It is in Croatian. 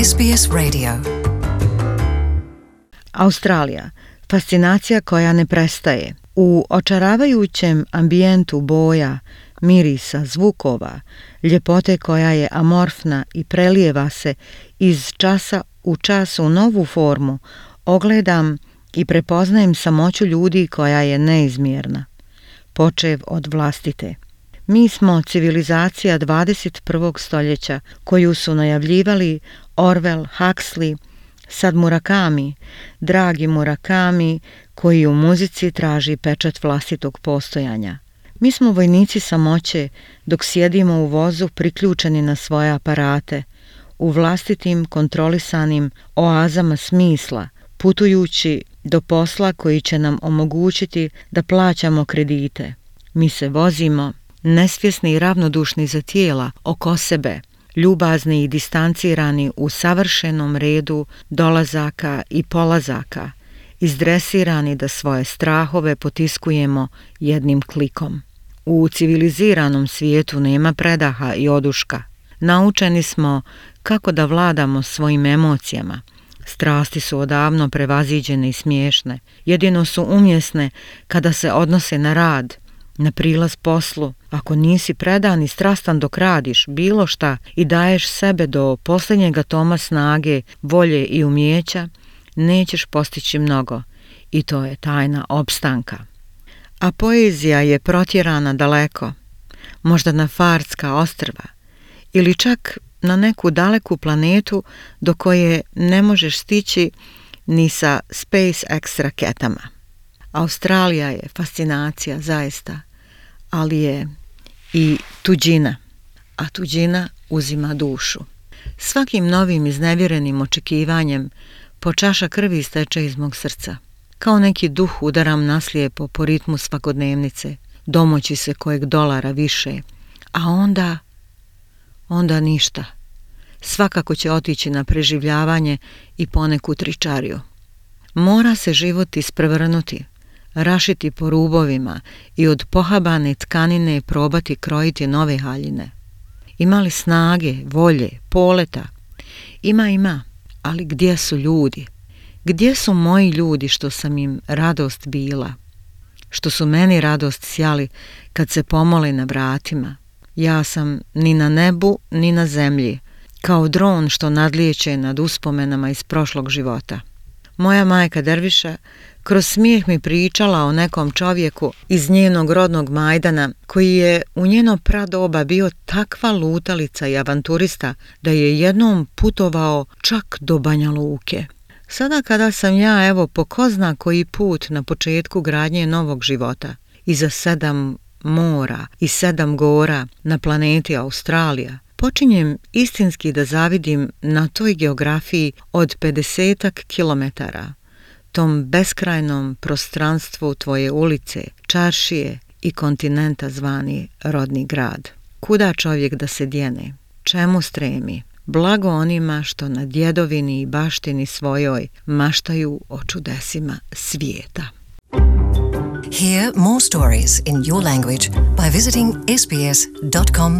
SBS Radio. Australija, fascinacija koja ne prestaje. U očaravajućem ambijentu boja, mirisa, zvukova, ljepote koja je amorfna i prelijeva se iz časa u čas u novu formu, ogledam i prepoznajem samoću ljudi koja je neizmjerna, počev od vlastite. Mi smo civilizacija 21. stoljeća koju su najavljivali Orwell, Huxley, sad Murakami, dragi Murakami koji u muzici traži pečat vlastitog postojanja. Mi smo vojnici samoće dok sjedimo u vozu priključeni na svoje aparate, u vlastitim kontrolisanim oazama smisla, putujući do posla koji će nam omogućiti da plaćamo kredite. Mi se vozimo, nesvjesni i ravnodušni za tijela oko sebe, ljubazni i distancirani u savršenom redu dolazaka i polazaka, izdresirani da svoje strahove potiskujemo jednim klikom. U civiliziranom svijetu nema predaha i oduška. Naučeni smo kako da vladamo svojim emocijama. Strasti su odavno prevaziđene i smiješne. Jedino su umjesne kada se odnose na rad, na prilaz poslu. Ako nisi predan i strastan dok radiš bilo šta i daješ sebe do posljednjeg atoma snage, volje i umijeća, nećeš postići mnogo i to je tajna opstanka. A poezija je protjerana daleko, možda na Farska ostrva ili čak na neku daleku planetu do koje ne možeš stići ni sa SpaceX raketama. Australija je fascinacija zaista, ali je i tuđina, a tuđina uzima dušu. Svakim novim iznevjerenim očekivanjem po čaša krvi steče iz mog srca. Kao neki duh udaram naslijepo po ritmu svakodnevnice, domoći se kojeg dolara više, a onda ništa. Svakako će otići na preživljavanje i poneku tričariju. Mora se život isprevrnuti, rašiti po rubovima i od pohabane tkanine probati krojiti nove haljine. Ima li snage, volje, poleta? Ima, ali gdje su ljudi? Gdje su moji ljudi što sam im radost bila? Što su meni radost sjali kad se pomole na vratima? Ja sam ni na nebu, ni na zemlji, kao dron što nadlijeće nad uspomenama iz prošlog života. Moja majka Derviša kroz smijeh mi pričala o nekom čovjeku iz njenog rodnog Majdana koji je u njeno pradoba bio takva lutalica i avanturista da je jednom putovao čak do Banja Luke. Sada kada sam ja evo po ko zna koji put na početku gradnje novog života, iza 7 mora i 7 gora na planeti Australija, počinjem istinski da zavidim na toj geografiji od 50 kilometara, tom beskrajnom prostranstvu tvoje ulice, čaršije i kontinenta zvani rodni grad. Kuda čovjek da se djene? Čemu stremi? Blago onima što na djedovini i baštini svojoj maštaju o čudesima svijeta. Hear more stories in your language by visiting sbs.com.au.